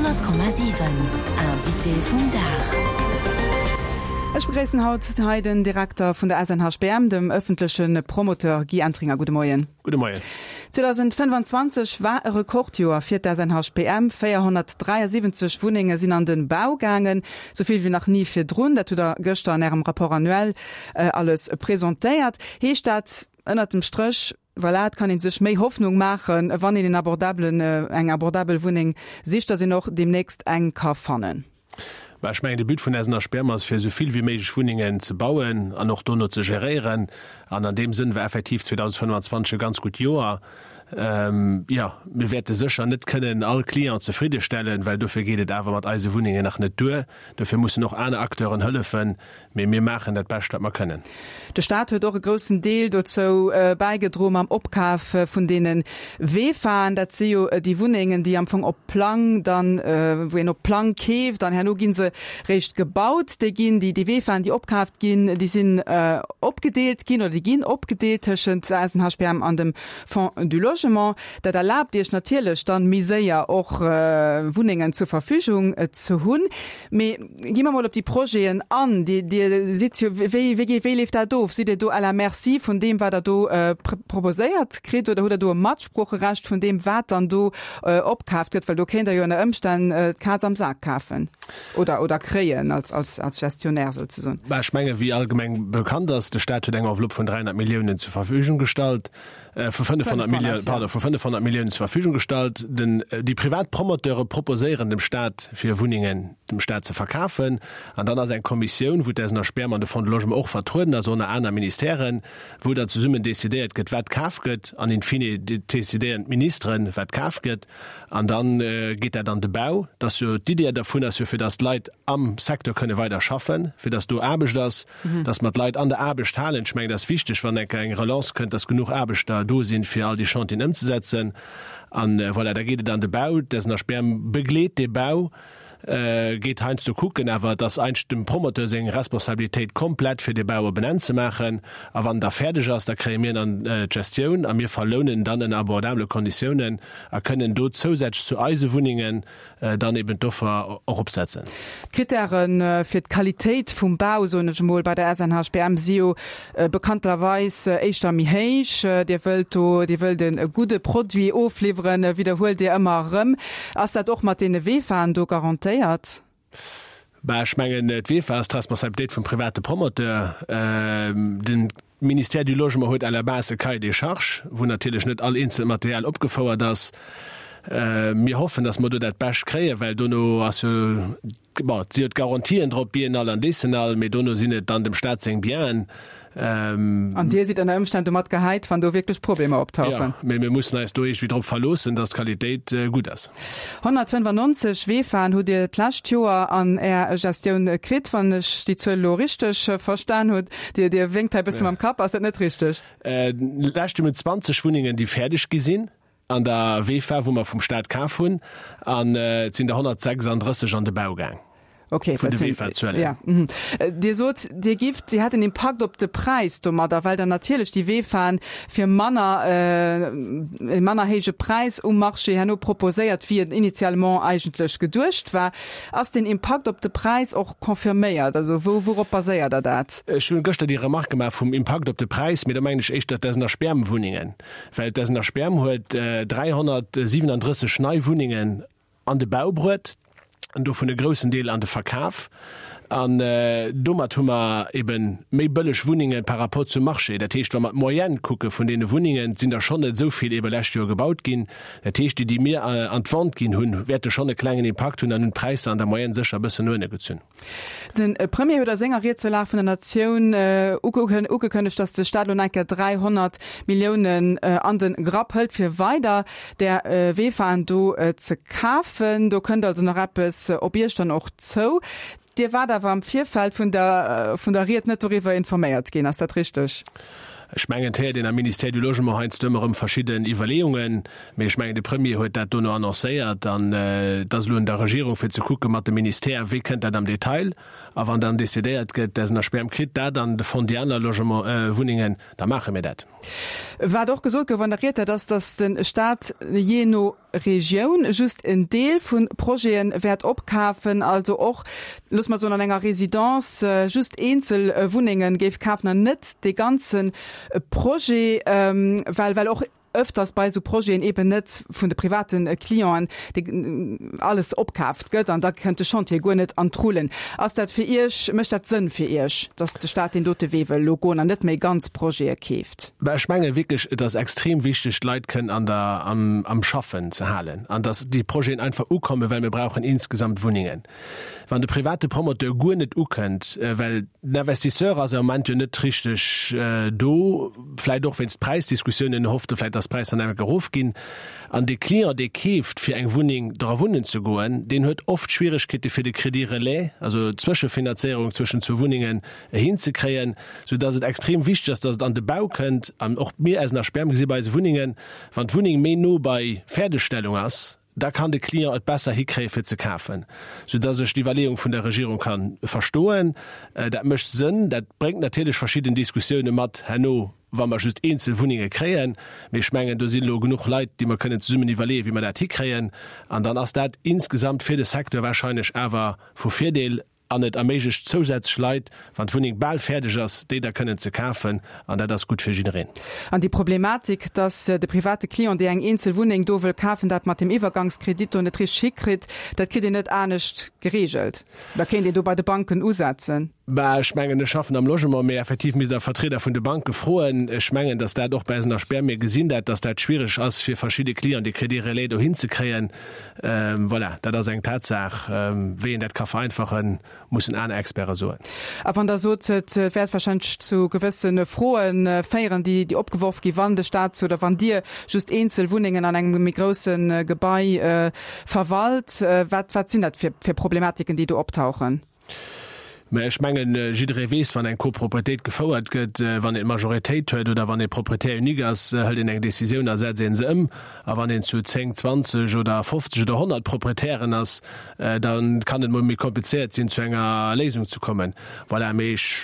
100,7 Invité vum Dag. Ech begréissen haut hei den Direkter vun der SNHBM, dem ëffentleche Promoteur Guy Entringer. Gudde Moien. Gudde Moien. 2025 war e Rekordjoer fir d'SNHBM. 473 Wunnenge sinn an de Bau gaangen, sou vill wéi nach ni virdrun. Dat hutt Der gëschter an Ärem Rapport annuel alles presentéiert. Heescht dat ënnert dem Stréch, Voilà, et kann ee sech méi Hoffnung maachen, wann een en abordabelen, eng abordabel Wunneng sicht, dass een och deemnächst eng ka fannen. Bah, ech mengen, de But vun SNHBM ass, fir esou vill wéi méiglech Wunnengen ze bauen an och dono ze geréieren. An an deem Sënn war effektiv 2025 e ganz gutt Joer. Jo, mir wäerte sécher net kënnen all Client zefriddestellen, well dofir geet et awer mat eise Wunnengen nach net duer. Dofir mussen och aner Acteuren hëllefen. Mee mir maachen dat Bescht, wat mer kënnen. De Staat huet och e groussen Deel dozou bäigedroe mam Opkaf vun deene VEFAen. Dat si jo déi Wunnengen, déi am Fong op Plang dann, wou een op Plang keeft an herno gi se réischt gebaut. Déi ginn, déi VEFAen, déi opkaaft ginn, déi sinn opgedeelt ginn oder déi ginn opgedeelt tëschent der SNHBM an dem Fonds du Logement. Dat erlaabt Iech natierlech dann méi séier och Wunnengen zur Verfügung ze hunn. Mee gi mer mol op déi Projeten an. Dir, Dir sidd jo, wéi, wéi, wéi leeft dat of? Sidd Dir do à la merci vun deem, wat Der do proposéiert kritt oder hutt Der do e Matsproocherecht vun deem, wat dann do opkaaft gëtt? Well do kéint Der jo ënner Ëmstänn d'Kaz am Sak kafen oder, oder kréien als, als, als Gestionnaire souzesoen. Bah, ech mengen, wéi allgemeng bekannt ass, de Staat huet eng Enveloppe vun 300 Milliounen zur Verfügung gestallt. vu 500 Milliounen, pardon, vu 500 Milliounen zur Verfügung gestallt. Den, déi privat Promoteure proposéieren dem Staat, fir Wunnengen dem Staat ze verkafen. An dann ass eng Kommissioun, wou d'SNHBM an de Fonds de Logement och vertrueden ass, och nach aner Ministèren, wou dann zesummen decidéiert gëtt, wat kaf gëtt. An in fine decidéieren d'Ministeren, wat kaf gëtt. An da geet dat an de Bau. Dat ass jo, d'Idee dervun ass jo, fir datt d'Leit am Secteur kënne weider schaffen, fir datt do Aarbecht ass. dass mer d'Leit an der Aarbecht halen. Ech mengen, dat ass wichteg, wann eng Kéier eng Relance kënnt, dass genuch Aarbechter do sinn, fir all déi Chantieren ëmzesetzen. An voilà, da geet et an de Bau. D'SNHBM begleet dee Bau, geet heiansdo kucken, awer et ass eigentlech dem Promoteur seng Responsabilitéit komplett, fir dee Bau op en Enn ze maachen. A wann en da fäerdeg ass, da kréie mir en an d'Gestioun a mir verlounen en dann ënner abordabele Konditiounen a kënnen do zousätzlech zu eise Wunnengen dann eben d'Offer och opsetzen. D'Krittäre fir d'Qualitéit vum Bau, soen ech emol, bei der SNHBM si jo bekanntlerweis éischter méi héich. Dir wëllt do, Dir wëllt e gudde Produit ofliwweren, widderhuelt Dir ëmmer erëm. Ass dat och mat deene VEFAen do garantéiert? Bah, ech mengen, d'VEFA ass d'Responsabilitéit vum private Promoteur. Den Ministère du Logement huet à la base e Cahier des charges, wou natierlech net all eenzelt Material opgefouert ass. Mir hoffen, datt mer do dat Bescht kréien, well dono ass jo, bon, et si jo d'Garantien drop, biennal an décennal, mee dono sinn et dann dem Staat seng Bienen. An Dir sidd ënner Ëmstänn domat gehäit, wann do wierklech Problemer optauchen. Jo, mee mir mussen eis do iergendwéi drop verloossen, datt d'Qualitéit gutt ass. 195 Vefaen hutt Dir d'lescht Joer an Är Gestioun kritt, wann ech déi Zuel elo richteg verstan hutt. Dir, Dir wénkt hei e bësse mam Kapp. Ass dat net richteg? D'lescht Joer hunn 20 Wunnengen, déi fäerdeg gi sinn an der Vefa, wou mer vum Staat kaf hunn, an et sinn der 136 an de Bau gaang. Okay, vun de VEFA-Zuelen. Ja. Mhm. Dir sot, Dir gift, Dir hätt en Impakt op de Präis domadder, well dann natierlech déi VEFAen fir manner, e manner héije Präis um Marché herno proposéiert, wéi et initialement eigentlech geduecht war. Ass deen Impakt op de Präis och confirméiert? Also wou, wourop baséiert Der dat? Ech hunn gëschter déi Remarque gemaach vum Impakt op de Präis, mee do mengen ech éischter d'SNHBM-Wunnengen, well d'SNHBM huet 337 nei Wunnengen an de Bau bruet an dovun e groussen Deel an de Verkaf. An domat hu mer ebe méi bëlleg Wunnenge par rapport zum Marché. Dat heescht, wa mer d'Moyenne kucke vun deene Wunnengen, et sinn der schonn net esou vill ebe lescht Joer gebaut ginn. Dat heescht, déi, déi mir an d'Vente ginn hunn, wäerte schonn e klengen Impakt hunn an hunn d'Präisser an der Moyenne sécher e bëssen no ënne gezunn. De Premier huet a senger Ried zur Lag vun der Natioun ugekënnegt, datt de Staat elo nach eng Kéier 300 Milliounen an de Grapp hëlt, fir weider där Vefaen do ze kafen. Do kënnt also nach eppes op Iech dann och zou. Dir waart awer am Virfeld vun der vun der Ried net doriwwer informéiert ginn, ass dat richteg? Ech mengen, et héiert een am Ministère du Logement heiansdo ëmmer erëm verschidden Iwwerleeungen, mee ech mengen, de Premier huet dat dono annoncéiert an et ass elo un der Regierung fir ze kucke mat dem Ministère, wéi kënnt dat am Detail. A wann dann decidéiert gëtt, d'SNHBM kritt dat an de Fonds déi aner Logement, Wunnengen, da maache mir dat. Wat och gesot gouf an der Ried, dat ass, datt de Staat jee no. Regioun just en Deel vu Projete wäert opkafen, also och, loosse mer soen, an enger Résidence just eenzel Wunnenge géif kafen an net dee ganze Projet, well well och ëfters bei esou Projeten eben net vun de private Clienten alles opkaaft gëtt an da kënnt de Chantier guer net an d'Rullen. Ass dat fir Iech, mécht dat Sënn fir Iech, datt de Staat deen dote Wee wëll elo goen an net méi ganz Projete keeft? Mä ech menge wierklech, et ass extrem wichteg, d'Leit kënnen an der, am, am Schaffen ze halen an datt déi Projeten einfach ukommen, well mir brauchen insgesamt Wunnengen. Wann de private Promoteur guer net ukënnt, well den Investisseur ass am Moment jo net richteg do, vläicht och wéinst Präisdiskussiounen, en hofft vläicht, datt d'Präisser nach enk erofginn, an de Client, dee keeft fir eng Wunneng dra wunnen ze goen, deen huet oft Schwieregkeete fir de Crédit relais, also d'Zwëschefinanzéierung zwëschen zwou Wunnengen, hinzekréien, soudatt et extrem wichteg ass, datt et an de Bau kënnt. An och mir SNHBM gesi bei eise Wunnengen, wann d'Wunneng méi no bei Fäerdegstellung ass, da kann de Client et besser hikréie fir ze kafen, soudass ech d'Iwwerleeung vun der Regierung ka verstoen. Dat mécht Sënn. Dat bréngt natierlech verschidden Diskussioune mat herno, wa mer just eenzel Wunnenge kréien. Mee ech mengen, do sinn elo genuch Leit, déi mer kënnen zesummen iwwerleeën, wéi mer dat hikréien. An dann ass dat insgesamt fir de Secteur wahrscheinlech awer vu Virdeel. An et erméiglecht zousätzlech Leit, wann d'Wunneng bal fäerdeg ass, déi da kënnen ze kafen. An dat ass gutt fir jiddereen. An déi Problematik, dass de private Client, dee eng eenzel Wunneng do wëll kafen, dat mat dem Iwwergangskredit do net richteg hikritt, dat kritt een net anescht geregelt. Da kéint een do bei de Banken usetzen. Bah, ech mengen, ech schaffen am Logement, mee effektiv misst Der Vertrieder vun de Banke froen. Ech mengen, dass dat och bei eisen HBM, mir gesinn dat, dass dat schwiereg ass fir verschidde Clienten, dee Crédit relais dohin ze kréien. Voilà, dat ass eng Tatsaach. Wéi een dat ka vereinfachen, mussen aner Experte soen. A wann Der sot, et wäert wahrscheinlech zu gewësse Froe féieren, déi opgeworf ginn, wann de Staat oder wann Dir just eenzel Wunnengen an engem méi grousse Gebai verwalt, wat wat sinn dat fir Problematiken, déi do optauchen? Mä ech mengen, jidderee weess, wann eng Copropriétéit gefouert gëtt, wann een d'Majoritéit huet oder wann ee Propriétaire unique ass, hëlt een eng Décisioun a setzt ee se ëm. A wann een zu 10, 20 oder 50 oder 100 Proprietären ass, da kann et mol méi komplizéiert sinn, zu enger Léisung ze kommen. Voilà, mee ech.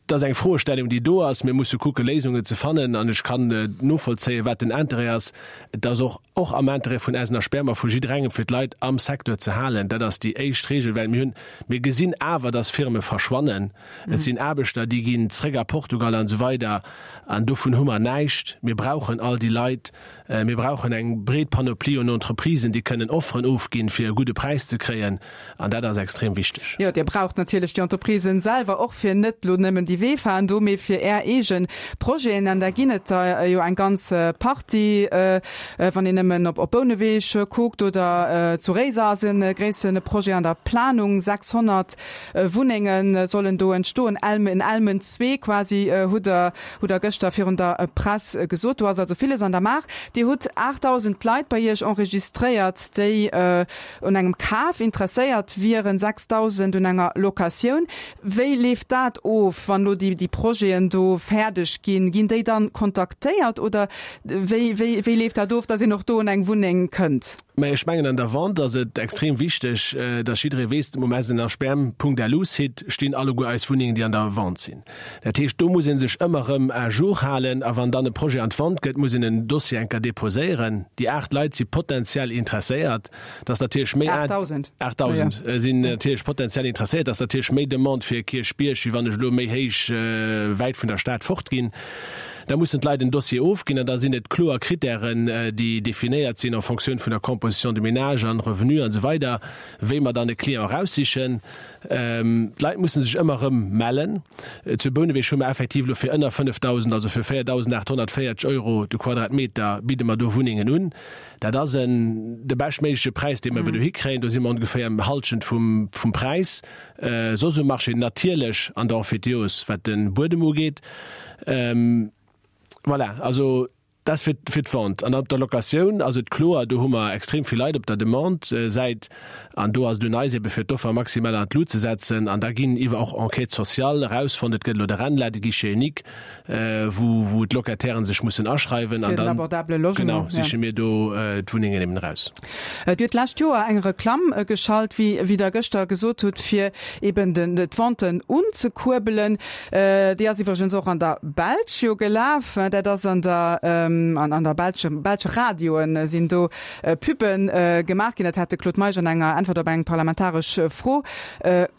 Et ass eng Froestellung, déi do ass. Mir musse kucke Léisungen ze fannen. An ech kann novollzéien, wat den Interêt ass. Et ass och och am Interêt vun Eisen a Spermer, vu jidderengem, fir d'Leit am Secteur ze halen. Dat ass déi éischt Regel, well mir hunn, mir gesinn awer, dass Firme verschwannen. Et sinn Aarbechter, déi ginn zréck a Portugal an esou weider. An dovun hu mer näischt. Mir brauchen all déi Leit. Mir brauchen eng breet Panoplie un Entreprisen, déi kënnen Offeren ofginn, fir e gudde Präis ze kréien. An dat ass extrem wichteg. Jo, Dir braucht natierlech déi Entreprisen selwer och, fir net elo nëmmen déi Weefaen do, mee fir Är eege Projeten. An där ginn et der jo eng ganz Partie, wann een nëmmen op Bouneweg kuckt oder zu Réiser ass e gréisse Projet an der Planung, 600 Wunnenge sollen do entstoen, Elmen, Elmen zwee quasi, hutt Der, hutt Der gëschter virun der Press gesot. Do ass also villes an der Maach. Dir hutt 8.000 Leit bei Iech enregistréiert, déi un engem Kaf interesséiert wieren, 6.000 un enger Locatioun. Wéi leeft dat of, wann elo déi Projeten do fäerdeg ginn? Ginn déi dann kontaktéiert oder wéi, wéi, wéi leeft dat of, datt een och do un eng Wunneng kënnt? Mä ech mengen, an der Vente ass et extrem wichteg, datt jidderee weess, um snhbm.lu-Site stinn alleguer eis Wunnengen, déi an der Vente sinn. Dat heescht, do muss ee sech ëmmer erëm à jour halen a wann dann e Projet an d'Vente gëtt, muss een en Dossier enker deposéieren. Déi 8 Leit si potenziell interesséiert. Et ass natierlech méi. 8.000. 8.000 sinn natierlech potenziell interesséiert. Et ass natierlech méi Demande fir Kierchbierg, wéi wann ech elo méi héich wäit vun der Stad fort ginn. Da mussen d'Leit en Dossier ofginn an da sinn et kloer Kritären, déi definéiert sinn en Fonctioun vun der Composition de ménage an Revenu an esou weider, wéi mer dann e Client eraussichen. D'Leit musse sech ëmmer erëm mellen. Zu Bouneweg hu mer effektiv elo fir ënner 5.000, also fir 4.840 Euro de Quadratmeter bidde mer do Wunnengen un. Dat ass en de beschtméigleche Präis, dee mer ebe dohi kréien. Do si mer ongeféier ëm Hallschent vum Präis soss um Marché, natierlech an der Emphytéose, wat de Buedem ugeet. Voilà, also dat ass fir fir d'Vente. An op der Locatioun ass et kloer, do hu mer extrem vill Leit op der Demande-Säit an do ass et un eis ebe fir d'Offer maximal an d'Lut ze setzen. An da ginn iwwer och Enquêtes sociales erausfonnt, et gëtt elo de RENLA, de Guichet unique, wou wou d'Locatairen sech mussen aschreiwen an dann, genau, siche mir do d'Wunnengen eben eraus. Dir hutt d'lescht Joer eng Reklamm geschalt, wéi wéi Der gëschter gesot hutt, fir eben den d'Venten unzekuerbelen. Déi ass iwwregens och an der Belsch jo gelaf. Dat ass an der. An an der belsche belsche Radioe sinn do Pubbe gemaach ginn. Dat hat de Claude Meisch an enger Äntwert op eng parlamentaresch Fro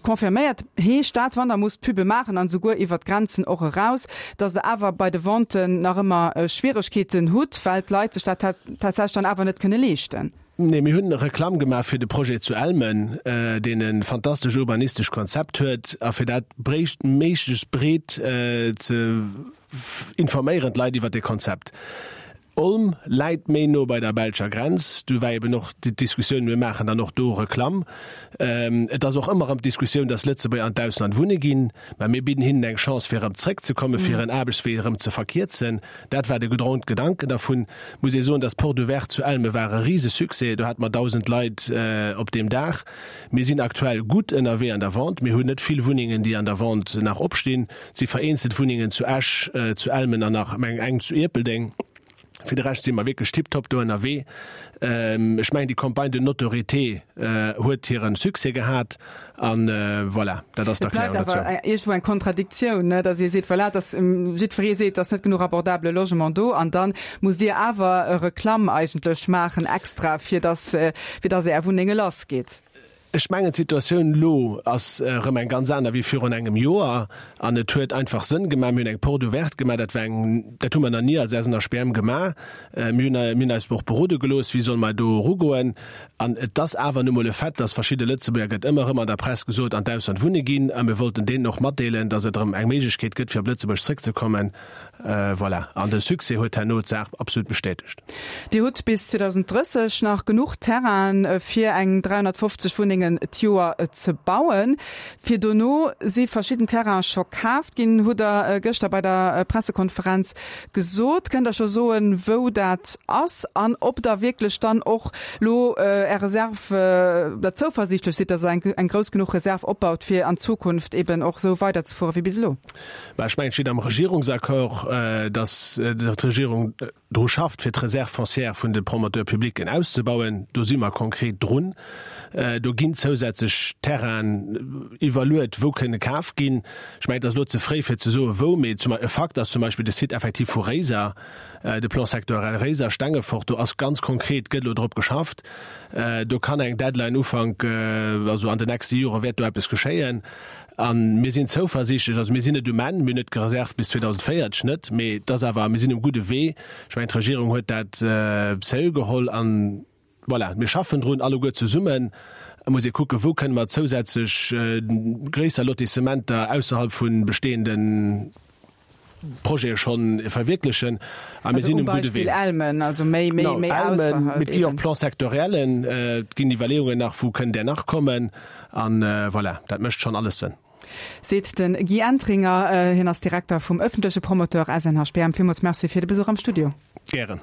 confirméiert. Heescht dat, wann Der musst Pubbe maachen an esouguer iwwert d'Grenzen och eraus, datt Der awer bei de Venten nach ëmmer Schwieregkeeten hutt, well d'Leit sech dat tatsächlech dann awer net kënne leeschten? Nee, mir hunn Reklamm gemaach fir de Projet zu Elmen, deen e fantastesch urbanistesch Konzept huet, a fir dat méiglechst breet ze informéieren, d'Leit iwwert dee Konzept. Olm läit méi no bei der belscher Grenz. Do war eben och d'Diskussioun, mir maachen dann och do Reklamm. Et ass och ëmmer erëm d'Diskussioun, dass Lëtzebuerger an d'Ausland wunne ginn. Mä mir bidden hinnen eng Chance, fir erëm zréckzekommen, fir hiren Aarbechtswee erëm ze verkierzen. Dat war de Grondgedanken dervun. Muss ee soen, dass d'Porte ouverte zu Elme war e Risesuccès. Do hate mer 1.000 Leit op deem Dag. Mir sinn aktuell gutt ënnerwee an der Vente. Mir hunn net vill Wunnengen, déi an der Vente nach opstinn. Et si vereenzelt Wunnengen zu Esch, zu Elmen an nach, mengen, eng zu Ierpeldeng. Fir de Rescht si mer wierklech tiptop do ënnerwee. Ech mengen, déi Campagne de notoriété huet hire Succès gehat an voilà, dat ass d'Erklärung dozou. Et bleift awer iergendwou eng Kontradiktioun, ne, datt Dir seet, voilà, datt jiddweree seet, et ass net genuch abordabele Logement do an da musst Dir awer Reklamm eigentlech maachen extra, fir datt, fir datt Är Wunnenge lassgeet. Ech mengen, d'Situatioun elo ass erëm eng ganz aner wéi virun engem Joer an et huet einfach Sënn gemaach. Mir hunn eng Porte ouverte gemaach, dat war eng, dat hu mer nach ni als SNHBM gemaach. Mir hunn, mir hunn eis och berode gelooss, wéi solle mer do erugoen. An et ass awer nu mol e Fait, dass verschidde Lëtzebuerger, gëtt ëmmer erëm an der Press gesot, an d'Ausland wunne ginn a mir wollten deenen och matdeelen, dass et erëm eng Méiglechkeet gëtt, fir op Lëtzebuerg zréckzekommen. Voilà, an de Succès huet herno d'Saach absolut bestätegt. Dir hutt bis 2030 nach genuch Terrainen, fir eng 350 Wunnengen d'Joer ze bauen. Fir dono si verschidden Terrainen scho kaaft ginn, hutt Der gëschter bei der Pressekonferenz gesot. Kënnt Der scho soen, wou dat ass an ob Der wierklech dann och lo Är Reserv, oder zouversiichtlech sidd, datt Der eng grouss genuch Reserv opbaut, fir an Zukunft eben och esou weiderzefuere wéi bis elo? Mä ech mengen, et steet am Regierungsaccord, datt d'Regierung dru schafft, fir d'Réserve foncière vun de Promoteurs publics auszebauen. Do si mer konkret drun. Do ginn zousätzlech Terrainen iwwerluet, wou kënne kaf ginn. Ech mengen, et ass elo ze fréi, fir ze soen, wou. Mee e Fakt ass zum Beispill de Site effektiv vu Réiser, de Plan sectoriel Réiser-Stengefort. Do ass ganz konkret, gëtt elo drop geschafft. Do kann eng Deadline Ufank, also an den nächste Jore wäert do eppes geschéien. A mir sinn zouversiichtlech, also mir sinn net um Enn, mir hunn net d'Reserv bis 2040, net, mee et ass awer, mir sinn um gudde Wee. Ech mengen, d'Regierung huet dat sérieux geholl an voilà, mir schaffen drun alleguer zesummen. Et muss ee kucken, wou kënne mer zousätzlech gréisser Lotissementer ausserhalb vu bestehende Projete schonn verwierklechen. A mir sinn um gudde Wee. Elmen, also méi, méi, méi ausserhalb. Mee et gi och Plan-sectoriellen, et ginn Iwwerleeungen nach, wou kënnt där nach kommen. An voilà, dat mécht schonn alles Sënn. Seet de Guy Entringer. Hien ass Direkter vum ëffentleche Promoteur SNHBM. Villmools Merci fir de Besuch am Studio. Gären.